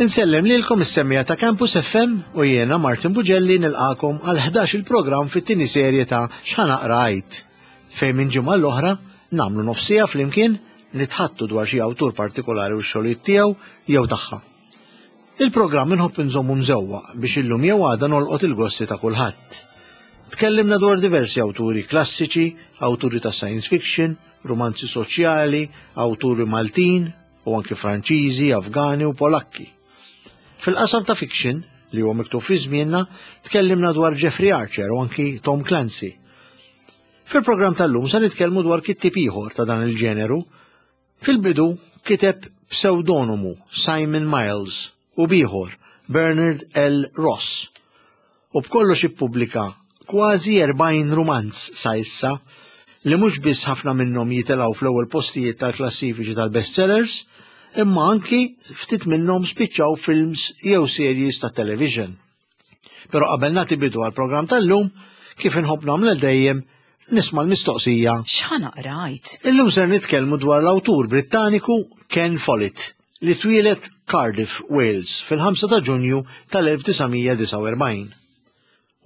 Insellem lilkom is-semmiegħa ta' Campus FM u jiena Martin Bugelli nilqakom għal 11 il-programm fit-tieni serje ta' X'ħa naqra għid, fejn minn ġimgħa l-oħra nagħmlu nofsija flimkien nitħattu dwar xi awtur partikolari u x-xogħlijiet tiegħu jew tagħha. Il-programm inħobb inżommu mżewwaq biex illum jew għada nolqot il-gosti ta' kulħadd. Tkellimna dwar diversi awturi klassiċi, awturi ta' science fiction, rumanzi soċjali, awturi Maltin, u anki Franċiżi, Afgani u Polakki. Fil-qasam ta' fiction, li huwa miktub fi żmienna, tkellimna dwar Jeffrey Archer u anki Tom Clancy. Fil-programm tal-lum se nitkellmu dwar kittib ieħor ta' dan il-ġeneru. Fil-bidu kiteb pseudonomu Simon Miles u b'ieħor, Bernard L. Ross, u b'kollox ippubblika kważi 40 rumanz sa issa, li mhux biss ħafna minnhom jitilgħu fl-ewwel postijiet tal-klassifiċi tal-bestsellers, imma anki ftit minnhom spiċċaw films jew series ta' television. Però qabel nagħti bidu għall-programm tal-lum, kif inħobb nagħmel dejjem, nisma' l-mistoqsija. X'ħa naqra għid? Illum ser nitkellmu dwar l-awtur Brittaniku Ken Follett, li twieled Cardiff, Wales, fil-5 ta' Ġunju tal-1949.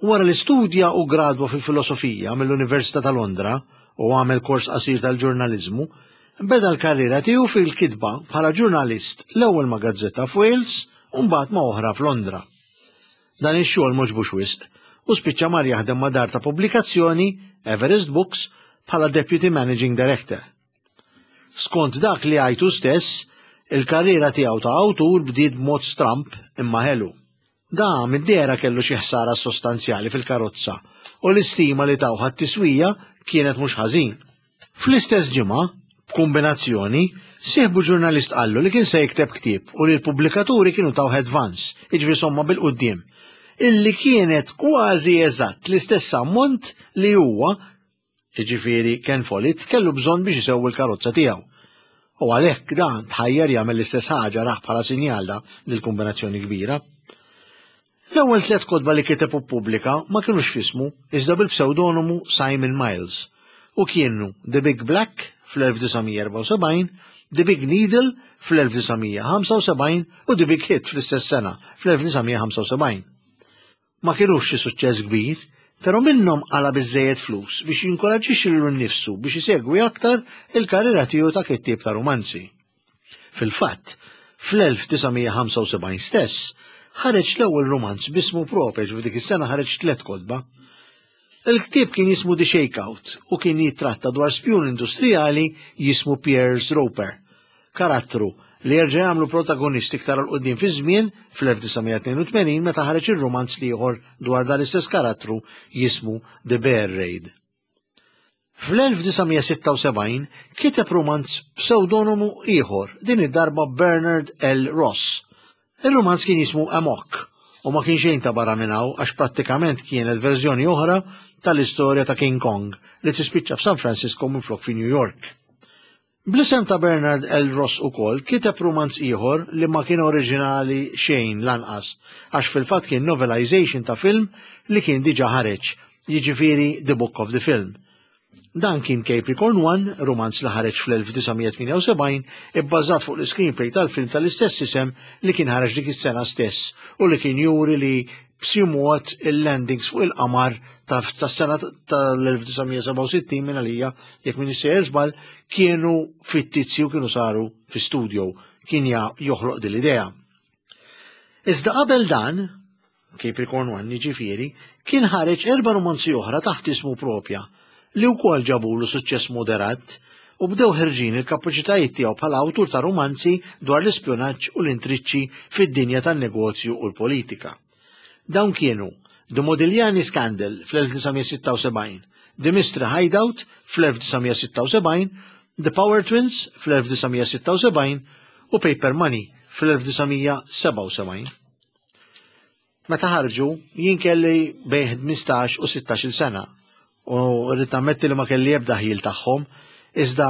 Wara li studja u gradwa fil-filosofija mill-Università ta' Londra u għamel kors qasir tal-ġurnaliżmu, beda l-karriera tiegħu fil-kitba bħala ġurnalist l-ewwel ma' gazzetta f'Wales u mbagħad ma' oħra f'Londra. Dan ix-xogħol m'għoġbux wisq u spiċċa mar jaħdem ma' dar ta' pubblikazzjoni, Everest Books, bħala Deputy Managing Director. Skont dak li jgħid hu stess, il-karriera tiegħu ta' awtur bdiet b'mod stramb imma ħelu. Da mid-dehra kellu xi ħsara sostanzjali fil-karozza u l-istima li tawh għat-tiswija kienet mhux ħażin. Fl-istess ġimgħa, b'kumbinazzjoni, sieħbu ġurnalist qallu li kien se jikteb ktieb u li l-pubblikaturi kienu tawh advance, jiġifieri somma bil-quddiem, illi kienet kważi eżatt l-istess ammont li huwa, jiġifieri Ken Follett, kellu bżonn biex isewwi l-karozza tiegħu. U għalhekk dan tħajjar jagħmel l-istess ħaġa rah bħala sinjal da dil-kumbinazzjoni kbira. L-ewwel tliet kotba li kiteb u ppubblika ma kinux f'ismu, iżda bil-psewdonomu Simon Miles, u kienu The Big Black fl-1974, The Big Needle fl-1975 u The Big Hit fl-istess sena, fl-1975. Ma kinux xi suċċess kbir, però minnhom qala' biżżejjed flus biex jinkoraġġixxi lilu nnifsu biex isegwi aktar il-karriera tiegħu ta' kittieb ta' rumanzi. Fil-fatt, fl-1975 stess, ħareġ l-ewwel rumanz b'ismu proprju f'dik is-sena ħareġ tliet kotba. Il-ktieb kien jismu The Shakeout u kien jittratta dwar spjun industrijali jismu Piers Roper, karattru li jerġa' jagħmlu protagonist iktar 'l quddiem fiż-żmien fl-1982 meta ħareġ ir-rumanz l-ieħor dwar dan l-istess karattru jismu The Bear Raid. Fl-1976 kiteb rumanz b'psewdonomu ieħor, din id-darba Bernard L. Ross. Ir-rumanz kien jismu Amok u ma kien xejn ta' barra minn hawn għax prattikament kienet verżjoni oħra tal-istorja ta' King Kong li tispiċċa f'San Francisco minflok fi New York. Bl-isem ta' Bernard L. Ross ukoll kiteb rumanz ieħor li ma kien oriġinali xejn lanqas, għax fil-fatt kien novelization ta' film li kien diġà ħareġ, jiġifieri The Book of the Film. Dan kien Capricorn One, rumanz li ħareġ fl-1978, ibbażat fuq l-iscreenplay tal-film tal-istess isem li kien ħareġ dik is-sena stess u li kien juri li b'xi mod il-landings fuq il-qamar tas-sena tal-1967 minn għalija, jekk minn sejjer żball, kienu fittizji u kienu saru fi studio, kien joħloq din l-idea. Iżda qabel dan, Capricorn One jiġifieri, kien ħareġ erba' romanzi oħra taħt ismu propja, li wkoll ġabulu suċċess moderat u bdew ħerġin il-kapaċitajiet tiegħu bħala awtur ta' rumanzi dwar l-ispjunaġġ u l-intriċċi fid-dinja tan-negozju u l-politika. Dawn kienu The Modigliani Scandal fl-1976, The Mystery Hideout fl-1976, The Power Twins fl-1976 u Paper Money fl-1977. Meta ħarġu, jien kelli bejn 15 u 16-il sena u rrid nammetti li ma kelli ebda ħjiel tagħhom, iżda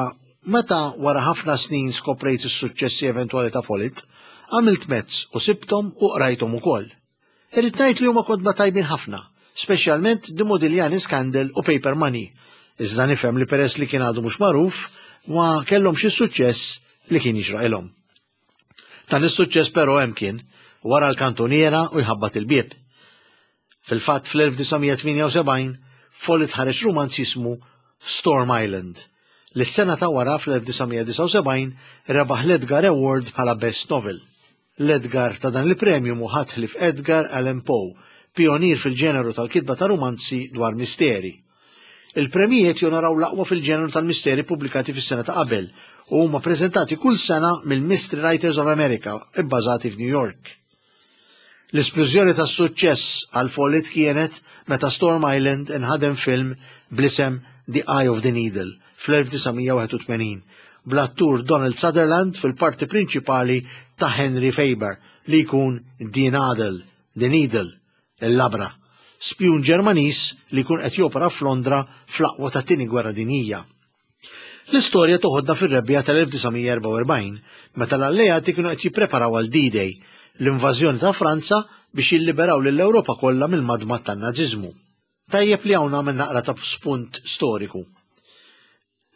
meta wara ħafna snin skoprejt is-suċċessi eventwali ta' Follett, għamilt mezz u sibthom u qrajthom ukoll. Irrid ngħid li huma kotba tajbin ħafna, speċjalment The Modigliani Scandal u Paper Money, iżda nifhem li peress li kien għadu mhux magħruf, ma kellhomx is-suċċess li kien jixraqilhom. Dan is-suċċess però hemm kien. wara l-kantuniera u jħabbat il-bieb. Fil-fatt fl-1978 Follett ħareġ rumanz jismu Storm Island, li s-sena ta' wara fl-1979 rebaħ l-Edgar Award bħala Best Novel. L-Edgar ta' dan il-premju mhu ħadd ħlief Edgar Allan Poe, pijonier fil-ġeneru tal-kitba ta' rumanzi dwar misteri. Il-premjijiet jonoraw l-aqwa fil-ġeneru tal-misteri pubblikati fis-sena ta' qabel u huma preżentati kull sena mill-Mystery Writers of America bbażati f'New York. L-isplużjoni tas-suċċess għal Follett kienet meta Storm Island inħadem film bl-isem The Eye of the Needle fl-1981 bl-attur Donald Sutherland fil-parti prinċipali ta' Henry Faber li jkun Die Nadel, The Needle, il-labra, spjun Ġermaniż li jkun qed jopera f'Londra fl-aqwa tat-Tieni Gwerra Dinjija. L-istorja toħodna fir-rebbiegħa tal-1944, meta l-Alleati kienu qed jippreparaw għal D-Day, l-invażjoni ta' Franza biex jilliberaw lill-Ewropa kollha mill-madmad tan-Naziżmu. Tajjeb li hawn nagħmel naqra ta' spunt storiku.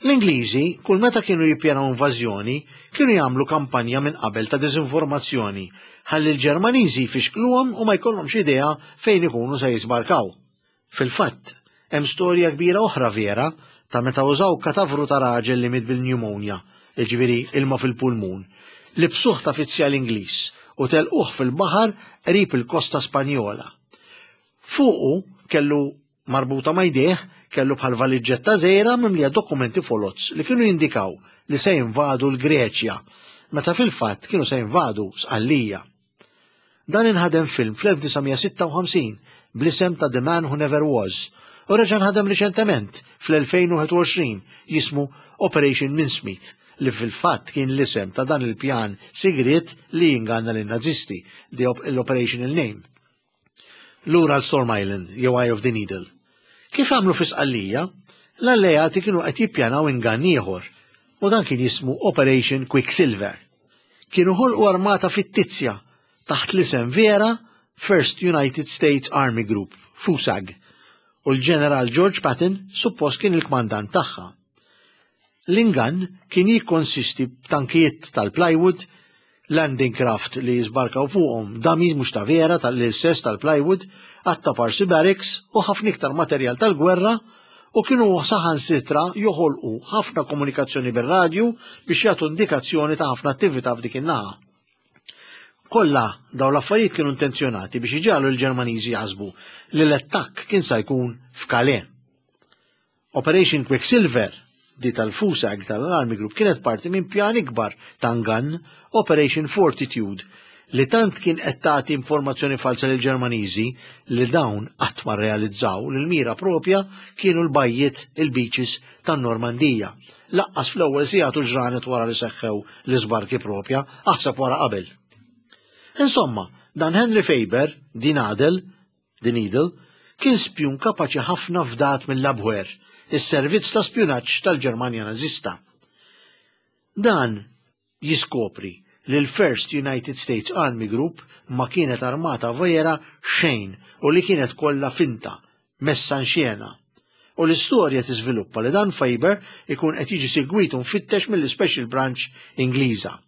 L-Ingliżi, kull meta kienu jippjanaw invażjoni, kienu jagħmlu kampanja minn qabel ta' diżinformazzjoni ħalli l-Ġermaniżi jfixkluhom u ma jkollhomx idea fejn ikunu se jiżbarkaw. Fil-fatt, hemm storja kbira oħra vera ta' meta użaw katavru ta' raġel li miet bil-pneumonia, jiġifieri ilma fil-pulmun, libsuh ta' fizzjal Ingliż u telquh fil-baħar qrib il-kosta Spanjola. Fuqu kellu marbuta ma' jdejh kellu bħal valiġġetta żgħira mimlija dokumenti foloz li kienu jindikaw li se jinvadu l-Greċja, meta fil-fatt kienu se jinvadu Sqallija. Dan inħadem film fl-1956 bl-isem ta' The Man Who Never Was u reġa' nħadem riċentement fl-2021 jismu Operation Mincemeat li fil-fatt kien l-isem ta' dan il-pjan sigriet li jinganna lin-Nazisti, the l-operational name. Lura għal Storm Island jew Eye of the Needle. Kif għamlu fi Sqallija, l-alleati kienu qed jippjanaw ingann ieħor u dan kien jismu Operation Quicksilver. Kienu ħolqu armata fittizja taħt l-isem vera First United States Army Group, FUSAG, u l-Ġeneral George Patton suppost kien il-kmandant tagħha. L-ingann kien jikkonsisti b'tankijiet tal-plywood, landing craft li jisbarkaw fuqhom dummies mhux ta' vera tal-istess tal-plywood, għadd Parsi barracks u ħafna iktar materjal tal-gwerra u kienu saħansitra joħolqu ħafna komunikazzjoni bir-radju biex jagħtu indikazzjoni ta' ħafna attività f'dik in-naħa. Kollha dawn l-affarijiet kienu intenzjonati biex iġagħlu l-Ġermaniżi jaħsbu li l-attakk kien sa jkun f'Calais. Operation Quicksilver, di tal-FUSAG tal-Army Group, kienet parti minn pjan ikbar ta' ngann, Operation Fortitude, li tant kien qed tagħti informazzjoni falsa lil Ġermaniżi li dawn qatt ma rrealizzaw li l-mira propja kienu l-bajjiet il-beaches tan-Normandija. Laqqas fl-ewwel sigħat u ġranet wara li seħħew l-iżbarki propja, aħseb wara qabel. Insomma, dan Henry Faber, Die Nadel, The Needle, kien spjun kapaċi ħafna fdat mill-Abwehr, is-servizz ta' spjunaġġ tal-Ġermanja Nażista. Dan jiskopri li l-First United States Army Group ma kienet armata vera xejn u li kienet kollha finta, messa in xena. U l-istorja tiżviluppa li dan Faber ikun qed jiġi segwit u mfittex mill-Special Branch Ingliża.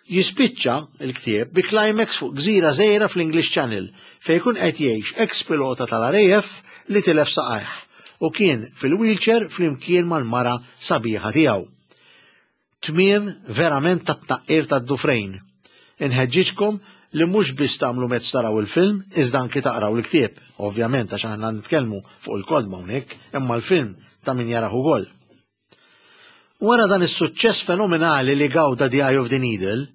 Jispiċċa l-ktieb bi climax fuq gżira żgħira fl-English Channel fejn ikun qed jgħix ex-pilota tal-RAF li tilef saqajh u kien fil-wheelchair flimkien mal-mara sabiħa tiegħu. Tmiem verament tat-tnaqqir tad-dufrejn. Inħeġġiġkom li mhux biss tagħmlu mezz taraw il-film, iżda anki taqraw il-ktieb. Ovvjament għax aħna nitkellmu fuq il-kotba hawnhekk, imma l-film ta' min jarah ukoll. Wara dan is-suċċess fenomenali li gawda The Eye of the Needle,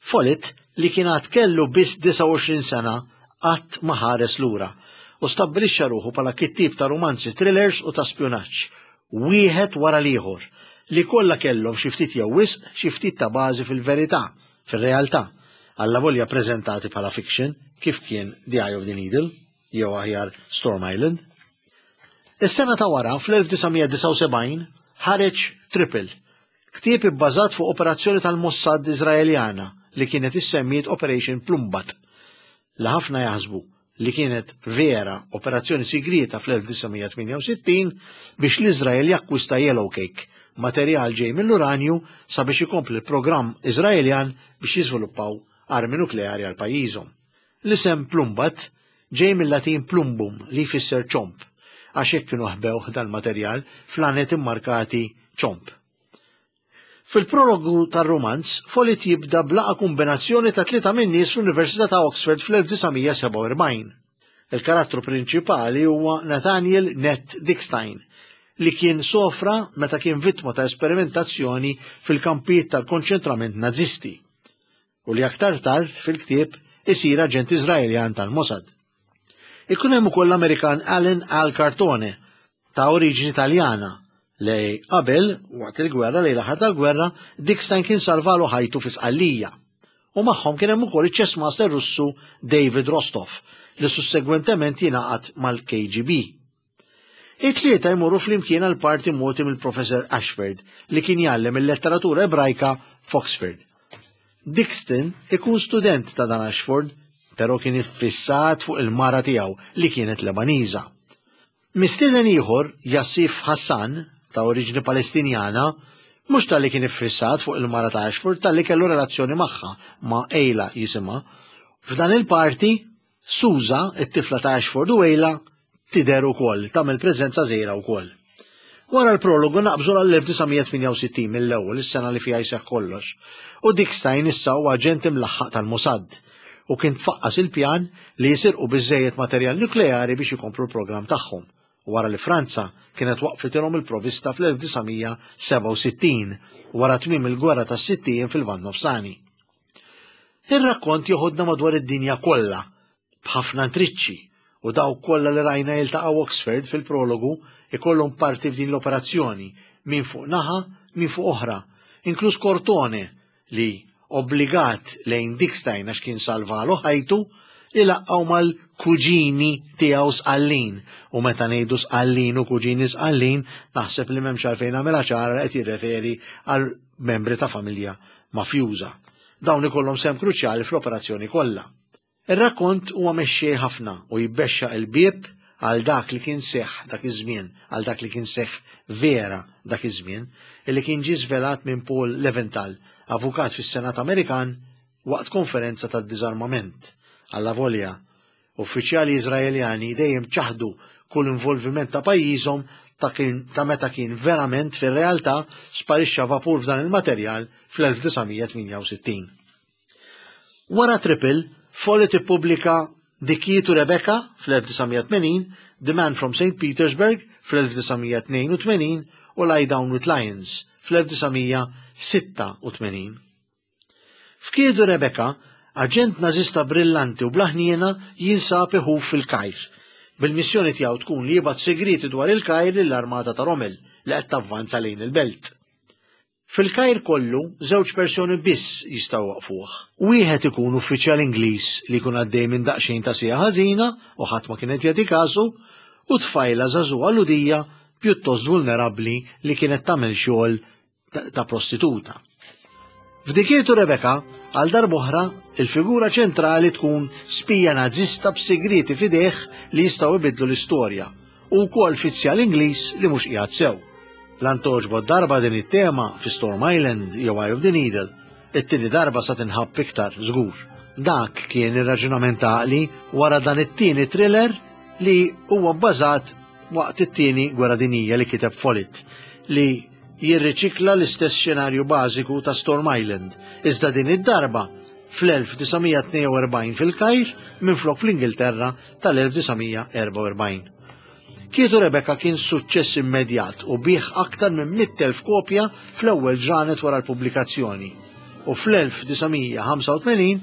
Follett li kien għad kellu biss 29 sena qatt ma ħares lura u stabbilixxa ruħu bħala kittieb ta' rumanzi thrillers u ta' spjunaġġ, wieħed wara l-ieħor, li kollha kellhom xi ftit jew wisq xi ftit ta' bażi fil-verità, fir-realtà, allavolja preżentati bħala fiction, kif kien The Eye of the Needle, jew aħjar Storm Island. Is-sena ta' wara, fl-1979, ħareġ Triple, ktieb ibbażat fuq operazzjoni tal-Mossad Iżraeljana li kienet issemmiet Operation Plumbat, li ħafna jaħsbu li kienet vera operazzjoni sigrieta fl-1968 biex l-Iżrael jakkwista yellow cake, materjal ġej mill-uranju sabiex ikompli l-programm Iżraeljan biex jiżviluppaw armi nukleari għal pajjiżhom. L-isem Plumbat ġej mill-Latin plumbum li jfisser ċomb, għax hekk kienu ħbewh dal-materjal f'lanet immarkati ċomb. Fil-prologu tar-rumanz, Follett jibda b'laqgħa kombinazzjoni ta' tlieta min-nies fl-Università ta' Oxford fl-1947. Il-karattru prinċipali huwa Nathaniel Ned Dickstein, li kien sofra meta kien vittma ta' esperimentazzjoni fil-kampijiet tal-konċentrament Nazisti u li aktar tard fil-ktieb isir aġent Iżraeljan tal-Mossad. Ikun hemm ukoll l-Amerikan Alan Al Cartone ta' oriġini Taljana li qabel waqt il-gwerra li l-aħħar tal-gwerra Dickstein kien salvalu ħajtu fi Sqallija. U magħhom kien hemm ukoll iċ-chess master Russu David Rostov li sussegwentement jingħaqad mal-KGB. It-tlieta jmorru flimkien għal parti mogħti mill-Professor Ashford li kien jgħallem il-letteratura Ebrajka f'Oxford. Dixon ikun student ta' dan Ashford, però kien iffissat fuq il-mara tiegħu li kienet Lebaniża. Mistieden ieħor, Jassif Hassan, ta' oriġini Palestinjana, mhux talli kien iffissat fuq il-mara ta' Ashford, talli kellu relazzjoni magħha, ma' Ejla jisimha. F'dan il-parti, Susa, it-tifla ta' Ashford u Ejla, tidher ukoll, tagħmel preżenza żgħira wkoll. Wara l-prologu naqbżu għall-1968 mill-ewwel is-sena li fiha jseħħ kollox, u Dickstein issa huwa aġent imlaħħaq tal-Mossad u kien tfaqqas il-pjan li jisirqu biżżejjed materjal nukleari biex ikomplu l-programm tagħhom wara li Franza kienet waqfitilhom il-provista fl-1967 wara tmiem il-gwerra tas-sitt ijiem fil-Lvant Nofsani. Ir-rakkont joħodna madwar id-dinja kollha b'ħafna intriċċi u dawk kollha li rajna jiltaqgħu Oxford fil-prologu ikollhom parti f'din l-operazzjoni, min fuq naħa, min fuq oħra, inkluż Cortone li obbligat lejn Dickstein għax kien salvalu ħajtu, ilaqqgħu mal-kuġini tiegħu Sqallin. U meta ngħidu Sqallin u kuġini Sqallin, naħseb li m'hemmx għalfejn nagħmilha ċara li qed jirreferi għal membri ta' familja mafjuża. Dawn ikollhom sehem kruċjali fl-operazzjoni kollha. Ir-rakkont huwa mexxej ħafna u jbexxaq il-bieb għal dak li kien seħħ dak iż-żmien, għal dak li kien seħħ vera dak iż-żmien, illi kien ġie żvelat minn Paul Leventhal, avukat fis-Senat Amerikan waqt konferenza tad-diżarmament. Allavolja, uffiċjali Iżraeljani dejjem ċaħdu kull involviment ta' pajjiżhom ta' kien ta' meta kien verament fir-realtà sparixxa vapur f'dan il-materjal fl-1968. Wara Triple, Follett ippubblika The Key to Rebecca fl-1980, The Man from St. Petersburg fl-1982 u Lie Down with Lions fl-1986. F'Kiedu Rebecca, aġent Nażista brillanti u bla ħniena jinsab iħuf fil-Kajr, bil-missjoni tiegħu tkun li jibgħat sigrieti dwar il-Kajr lill-armata ta' Rommel li qed tavvanza lejn il-belt. Fil-Kajr kollu, żewġ persuni biss jistgħu jwaqqfuh. Wieħed ikun uffiċjal Ingliż li jkun għaddej minn daqsxejn ta' siegħa ħażina u ħadd ma kien qed jagħti kasu, u tfajla żagħżugħa Lhudija pjuttost vulnerabbli li kienet tagħmel xogħol ta' prostituta. F'Dikietu Rebecca, għal darb'oħra, il-figura ċentrali tkun spija Nażista b'sigrieti f'idejh li jistgħu jbiddlu l-istorja, u wkoll fizzjal Ingliż li mhux qiegħed sew. Lan togħġbok darba din it-tema fi Storm Island jew Eye of the Needle, it-tieni darba sa tinħabb iktar, żgur. Dak kien ir-raġunament għaqli wara dan it-tieni thriller li huwa bbażat waqt it-tieni gwerra dinjija li kiteb Follett, li jirriċikla l-istess xenarju bażiku ta' Storm Island, iżda din id-darba fl-1942 fil-Kajr minflok fl-Ingilterra tal-1944. Kietu Rebecca kien suċċess immedjat u biegħ aktar minn 100,000 kopja fl-ewwel ġranet wara l-pubblikazzjoni. U fl-1985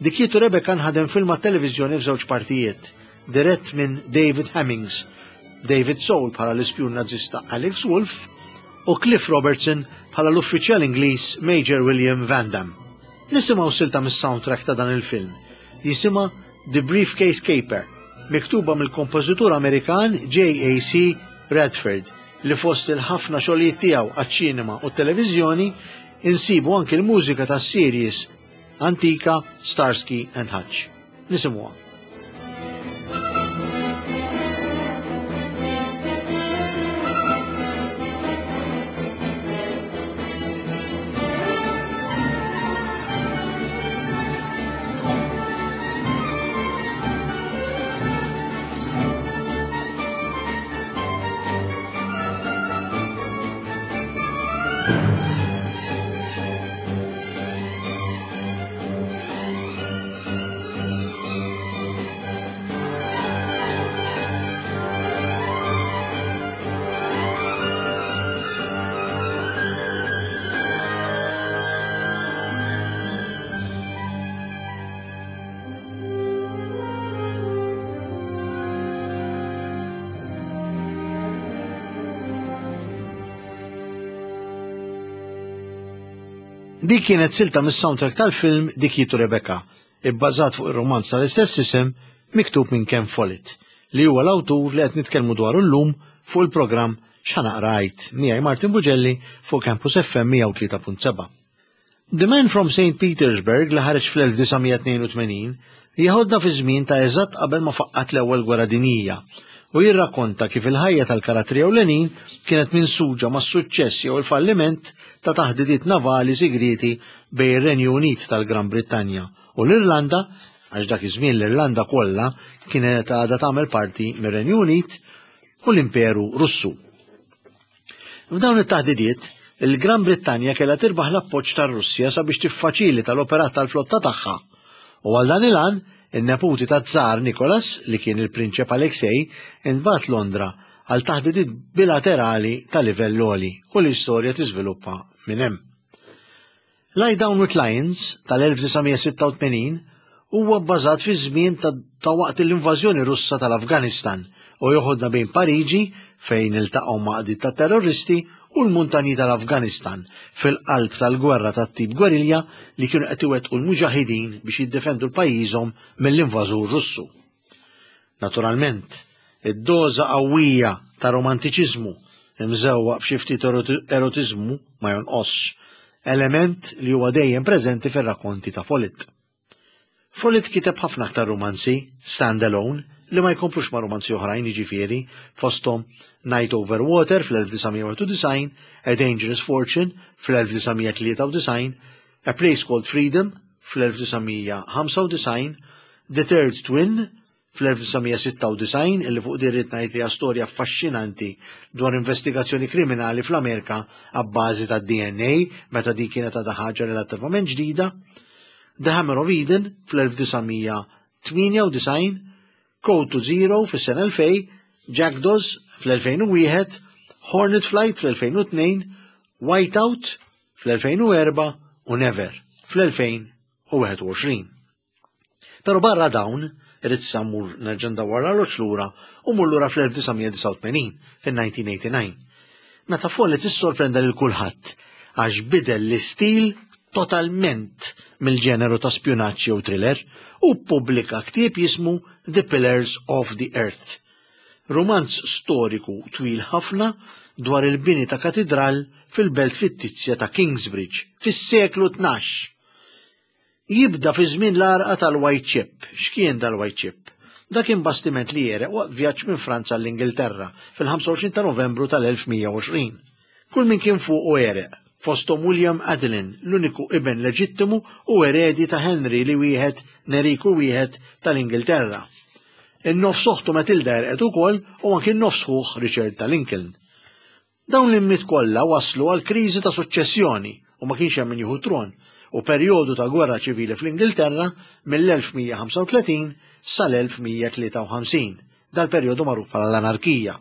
Dikietu Rebecca nħadem film għat-televiżjoni f'żewġ partijiet, dirett minn David Hemmings, David Soul bħala l-ispjun Nażista Alex Wolff u Cliff Robertson bħala l-uffiċjal Ingliż Major William Van Damme. Nisimgħu silta mis-soundtrack ta' dan il-film. Jisimha The Briefcase Caper, miktuba mill-kompożitur Amerikan J.A.C. Radford, li fost il-ħafna xogħlijiet tiegħu għaċ-ċinema u t-televiżjoni insibu anki l-mużika tas-series antika Starsky and Hutch. Nisimgħuha. Dik kienet silta mis-soundtrack tal-film Dikitu Rebecca, ibbażat fuq ir-romanz tal-istess isem miktub minn Ken Follett, li huwa l-awtur li qed nitkellmu dwaru llum fuq il-programm X'Ħa Naqra Għidt miegħi Martin Bugelli fuq Campus FM 103.7. The Man from St. Petersburg li ħareġ fl-1982 jeħodna fi żmien ta' eżatt qabel ma faqqat l-Ewwel Gwerra Dinjija u jirrakkonta kif il-ħajja tal-karattri ewlenin kienet minsuġa mas-suċċess jew il-falliment ta' taħdidiet navali sigrieti bejn ir-Renju Unit tal-Gran Brittanja u l-Irlanda, għax dak iż-żmien l-Irlanda kollha kienet għadha tagħmel parti mir-Renju Unit, u l-Imperu Russu. F'dawn it-taħdidiet, il-Gran Brittanja kellha tirbaħ l-appoġġ tar-Russja sabiex tiffaċilita l-operat tal-flotta tagħha. U għal dan il-għan, in-neputi taż-Żar Nicholas, li kien il-Prinċep Alexei, intbagħat Londra għal taħdidiet bilaterali ta' livell għoli u l-istorja tiżviluppa minn hemm. Lie Down with Lions tal-1986 huwa bbażat fi żmien ta', ta waqt l-invażjoni Russa tal-Afganistan u joħodna bejn Pariġi fejn iltaqgħu ma' qdiet ta' terroristi u l-muntanji tal-Afganistan fil-qalb tal-gwerra tat-tip gwerilja li kienu qed iwettqu l-muġahidin biex jiddefendu l-pajjiżhom mill-invażur Russu. Naturalment, id-doża qawwija ta' romantiċiżmu imżewwaq b'xi ftit erotiżmu ma jonqosx, element li huwa dejjem preżenti fir-rakkonti ta' Follett. Follett kiteb ħafna aktar rumanzi stand-alone li ma jkomplux ma' rumanzi oħrajn jiġifieri fosthom Night Over Water fl-1991, A Dangerous Fortune fl-1993, A Place Called Freedom fl-1995, The Third Twin fl-1996 illi fuq din rrid ngħid li hija storja affaxxinanti dwar investigazzjoni kriminali fl-Amerika abbażi tad-DNA meta din kienet għadha ħaġa relattivament ġdida, The Hammer of Eden fl-1998, Code to Zero fis-sena 2000, Jackdaws fl-2001, Hornet Flight fl-2002, Whiteout fl-2004 u Never fl-2021. Pero barra dawn, irrid issa mmur nerġa' ndawwar l-arloġġ lura u mmur lura fl-1989, fil-1989. Meta Follett issorprenda lil kulħadd għax bidel l-istil totalment mill-ġeneru ta' spjunaġġ jew thriller u ppubblika ktieb jismu The Pillars of the Earth. Rumanz storiku twil ħafna dwar il-bini ta' katidral fil-belt fittizja ta' Kingsbridge fis-seklu 12. Jibda fi żmien l-għarqa tal-White Ship. X'kien dal-White Ship? Dak kien bastiment li għereq waqt vjaġġ minn Franza għall-Ingilterra fil-25 ta' Novembru tal-1120. Kull min kien fuqu għereq, fosthom William Adelin, l-uniku iben leġittimu u eredi ta' Henry li wieħed Neriku wieħed tal-Ingilterra. In-nofs oħtu Matilda għerqet ukoll u anki n-nofs ħuh Richard ta' Lincoln. Dawn l-immiet kollha wasslu għal kriżi ta' suċċessjoni u ma kienx hemm min jieħu t-tron u perjodu ta' gwerra ċivili fl-Ingilterra mill-1135 sal-1153, dal-perjodu magħruf bħala l-Anarkija.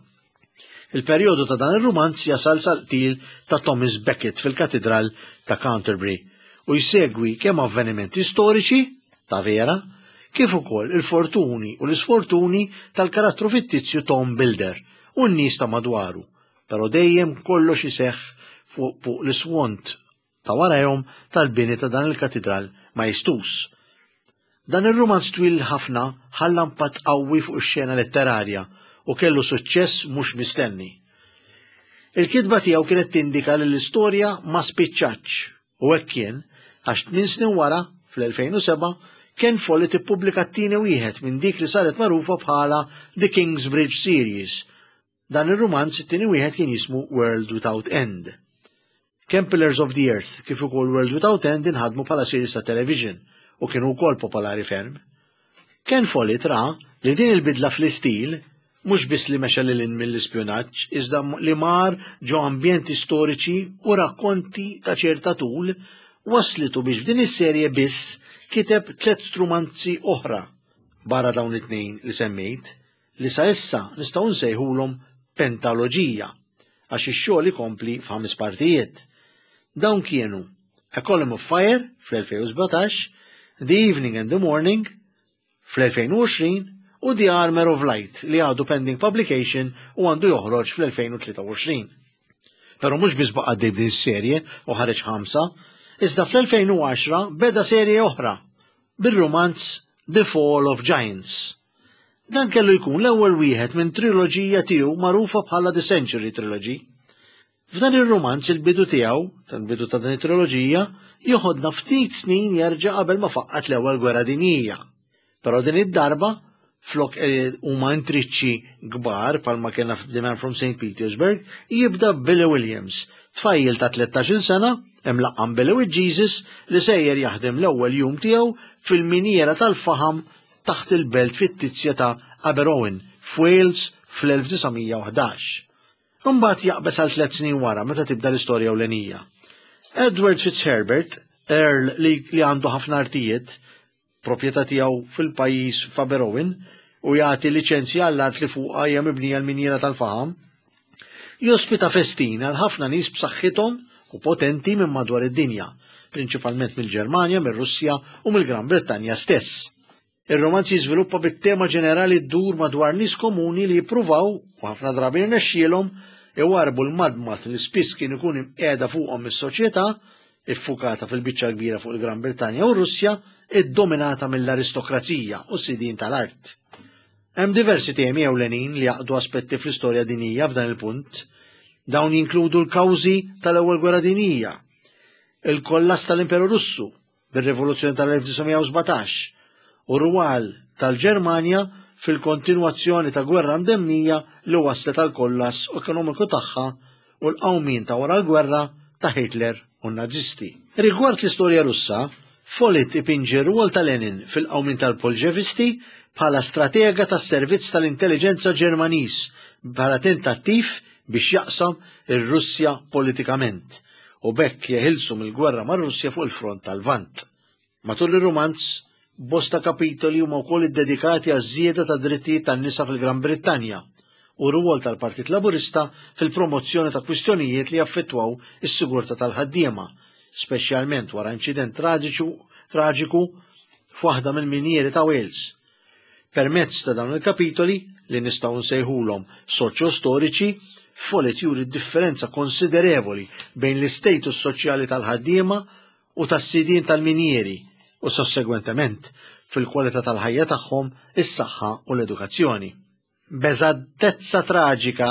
Il-perjodu ta' dan ir-rumanz jasal sal-qtil ta' Thomas Becket fil-Katidral ta' Canterbury u jsegwi kemm avvenimenti storiċi ta' vera kif ukoll il-fortuni u l-isfortuni tal-karattru fittizju Tom Builder u n-nies ta' madwaru, però dejjem kollox iseħħ fuq l-iswont ta' warajhom tal-bini ta' dan il-katidral majestuż. Dan ir-rumanz twil ħafna ħalla impatt qawwi fuq ix-xena letterarja u kellu suċċess mhux mistenni. Il-kitba tiegħu kienet tindika li l-istorja ma spiċċatx U hekk kien, għax tminn snin wara, fl-2007, Ken Follett ippubblika t-tieni wieħed minn dik li saret magħrufa bħala The Kingsbridge Series. Dan ir-rumanz it-tieni wieħed kien jismu World Without End. Kemm Pillars of the Earth kif ukoll World Without End inħadmu bħala series ta' television u kienu wkoll popolari ferm. Ken Follett ra li din il-bidla fl-istil. Mhux biss li mexa lil hinn mill-ispjunaġġ, iżda li mar ġo ambjenti storiċi u rakkonti ta' ċerta tul wasslitu biex f'din is-serje biss kiteb tlett strumanzi oħra barra dawn it-tnejn li semmejt, li sa issa nistgħu nsejħulhom pentaloġija għax ix-xogħol ikompli f'ħames partijiet. Dawn kienu A Column of Fire fl-2017, The Evening and the Morning fl-2020 u The Armor of Light li għadu pending publication u għandu joħroġ fl-2023. Però mhux biss baqa' għaddej b'din is-serje u ħareġ ħamsa, iżda fl-2010 beda serje oħra bir-rumanz The Fall of Giants. Dan kellu jkun l-ewwel wieħed minn triloġija tiegħu magħrufa bħala The Century Trilogy. F'dan ir-rumanz il-bidu tiegħu, tal-bidu ta' din it-triloġija, joħodna ftit snin jerġa' qabel ma faqqat l-Ewwel Gwerra Dinjija. Però din id-darba, flok eh, huma intriċċi kbar bħalma kellna f'The Man from St. Petersburg, jibda Billy Williams, tfajjel ta' 13-il sena, imlaqqam Billy with Jesus, li sejjer jaħdem l-ewwel jum tiegħu fil-minjiera tal-faħam taħt il-belt fittizja ta' Aberowen, f'Wales fl-1911. Imbagħad jaqbeż għal tlett snin wara meta tibda l-istorja ewlenija. Edward Fitzherbert, Earl li, li għandu ħafna artijiet, proprjetà tiegħu fil-pajjiż f'Aberowen, u jagħti liċenzja għall-art li fuqha hija mibnija l-minjiera tal-faħam, jospita festin għal ħafna nies b'saħħithom u potenti minn madwar id-dinja, prinċipalment mill-Ġermanja, mir-Russja u mill-Gran Brittanja stess. Ir-romanz jiżviluppa bit-tema ġenerali ddur madwar nies komuni li jippruvaw, u ħafna drabi jirnexxielhom, iwarrbu l-madmad li spiss kien ikun imqiegħda fuqhom mis-soċjetà, iffukata fil-biċċa l-kbira fuq il-Gran Brittanja u r-Russja, iddominata mill-aristokrazija u s-sidien tal-art. Hemm diversi temi ewlenin li jgħaqqdu aspetti fl-istorja dinjija f'dan il-punt. Dawn jinkludu l-kawżi tal-Ewwel Gwerra Dinjija, il-kollass tal-Imperu Russu, bir-Rivoluzzjoni tal-1917 u r-rwal tal-Ġermanja fil-kontinwazzjoni ta' gwerra mdemmija li wasslet għall-kollass ekonomiku tagħha u l-qawmien ta' wara l-gwerra ta' Hitler u n-Nazisti. Rigward l-istorja Russa, Follett ipinġi r-rwol ta' Lenin fil-qawmien tal-Bolxevisti bħala stratega tas-servizz tal-intelliġenza Ġermaniż bħala tentattiv biex jaqsam ir-Russja politikament u b'hekk jeħilsu mill-gwerra mar-Russja fuq il-front tal-Lvant. Matul ir-rumanz, bosta kapitoli huma wkoll iddedikati għaż-żieda tad-drittijiet tan-nisa fil-Gran Brittanja u r-rwol tal-Partit Laburista fil-promozzjoni ta' kwistjonijiet li jaffettwaw is-sigurtà tal-ħaddiema, speċjalment wara inċident traġiku f'waħda mill-minjieri ta' Wales. Permezz ta' dawn il-kapitoli, li nistgħu nsejħulhom soċjo-storiċi, Follett juri d-differenza konsiderevoli bejn l-istatus soċjali tal-ħaddiema u tas-sidien tal-minjieri u sossegwentement fil-kwalità tal-ħajja tagħhom, is-saħħa u l-edukazzjoni. B'eżattezza traġika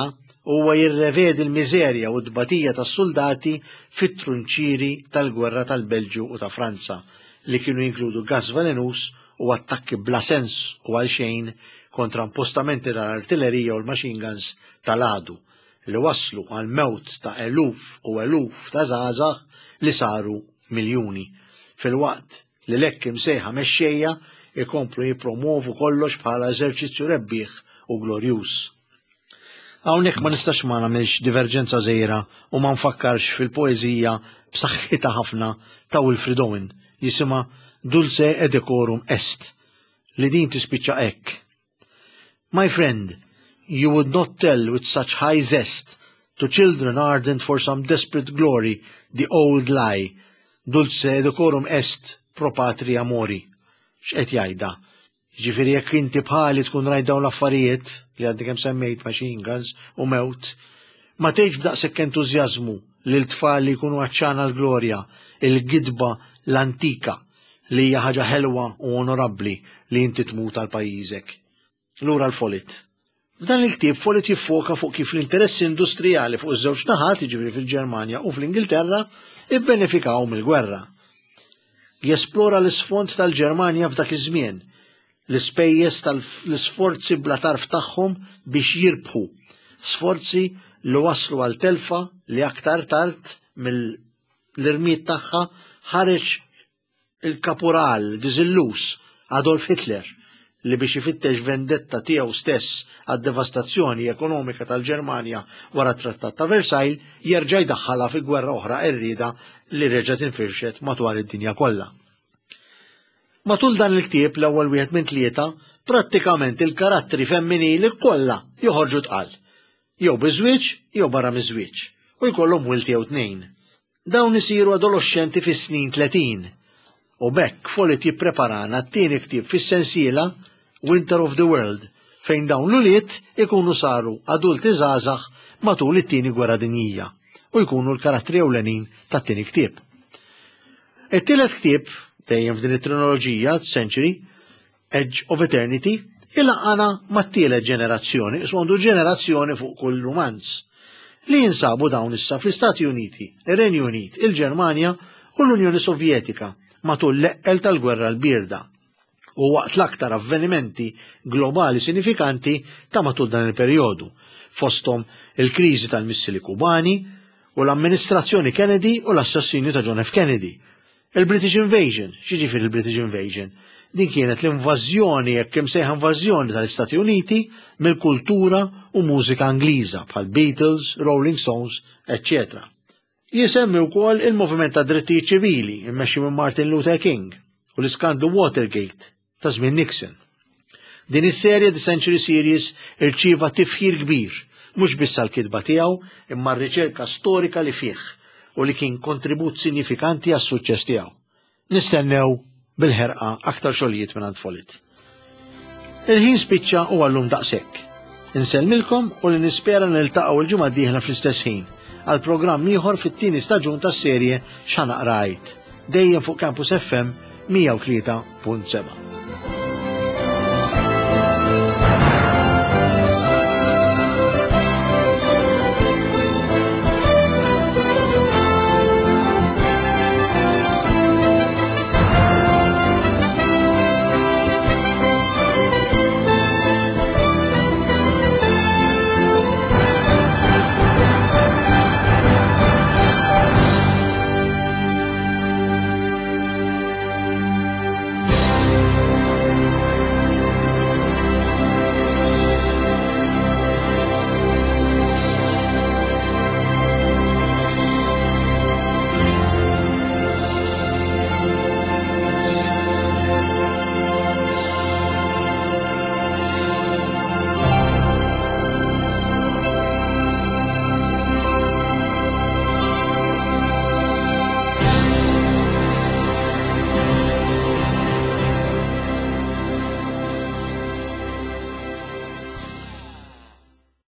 huwa jirrevedi l-miżerja u t-tbatija tas-suldati fit-trunċieri tal-gwerra tal-Belġju u ta' Franza li kienu jinkludu gass velenuż u attakki bla sens u għalxejn kontra impostamenti tal-artillerija u l-machine guns tal-għadu li wasslu għall-mewt ta' eluf u eluf ta' żgħażagħ li saru miljuni filwaqt li l-hekk imsejħa mexxejja jkomplu jippromwovu kollox bħala eżerċizzju rebbieħ u glorjuż. Hawnhekk ma nistax ma nagħmilx diverġenza żgħira u ma nfakkarx fil-poeżija b'saħħitha ħafna ta' Wilfrid Owen jisimha Dulce et Decorum Est li din tispiċċa hekk. My friend, you would not tell with such high zest to children ardent for some desperate glory the old lie, dulce et decorum est pro patria mori. X'qed jgħidha? Jiġifieri jekk inti bħali tkun rajt dawn l-affarijiet li għadni kemm semmejt machine guns u mewt, ma tgħidx b'daqshekk entużjażmu lil tfal li jkunu għatxana l-glorja, il-gidba l-antika li hija ħaġa ħelwa u onorabbli li inti tmut għal pajjiżek. Lura l-Follett. F'dan il-ktieb Follett jiffoka fuq kif l-interessi industrijali fuq iż-żewġ naħat, jiġifieri fil-Ġermanja u fl-Ingilterra, ibbenefikaw mill-gwerra. Jesplora l-isfond tal-Ġermanja f'dak iż-żmien, l-ispejjeż tal-isforzi bla tarf tagħhom biex jirbħu, sforzi li wasslu għal telfa li aktar tard mill-irmied tagħha ħareġ il-kapural diżilluż Adolf Hitler. li biex ifittex vendetta tiegħu stess għad-devastazzjoni ekonomika tal-Ġermanja wara t-Trattat ta' Versailles jerġa' jdaħħalha fi gwerra oħra qerrieda li reġgħet infirxet madwar id-dinja kollha. Matul dan il-ktieb l-ewwel wieħed minn tlieta, prattikament il-karattri femminili kollha joħorġu tqal. Jew biż-żwieġ jew barra miż-żwieġ u jkollhom wild jew tnejn. Dawn isiru adoloxxenti fis-snin 30 u b'hekk Follett jippreparana t-tieni ktieb fis-sensiela Winter of the World fejn dawn l-ulied ikunu saru adulti żgħażagħ matul it-Tieni Gwerra Dinjija u jkunu l-karattri ewlenin tat-tieni ktieb. It-tielet ktieb, dejjem f'din it-trinoloġija, Century, Edge of Eternity, ilaqqana mat-tielet ġenerazzjoni, isu għandu ġenerazzjoni fuq kull rumanz, li jinsabu dawn issa fl-Istati Uniti, ir-Renju Unit, il-Ġermanja u l-Unjoni Sovjetika matul l-eqqel tal-Gwerra l-Bierda u waqt l-aktar avvenimenti globali sinifikanti ta' matul dan il-perjodu, fosthom il-kriżi tal-missili Kubani u l-amministrazzjoni Kennedy u l-assassinju ta' John F. Kennedy, Il-British Invasion, x'jiġifieri il-British Invasion? Din kienet l-invażjoni, hekk imsejħa invażjoni tal-Istati Uniti mill-kultura u mużika Ingliża bħal Beatles, Rolling Stones, etc. Jisemmi wkoll il-moviment ta' drittijiet ċivili immexxi minn Martin Luther King u l-iskandlu Watergate ta' żmien Nixon. Din is-serje The Century Series irċieva tifħir kbir, mhux biss għall-kitba tiegħu imma r-riċerka storika li fih u li kien kontribut sinjifikanti għas-suċċess tiegħu. Nistennew bil-ħerqa aktar xogħlijiet mingħand Follett. Il-ħin spiċċa u għallum daqshekk. Insellmilkom u li nispera niltaqgħu l-ġimgħa d-dieħla fl-istess ħin għal programm ieħor fit-tieni staġun tas-serje X'Ħa Naqra Għid, dejjem fuq Campus FM 103.7.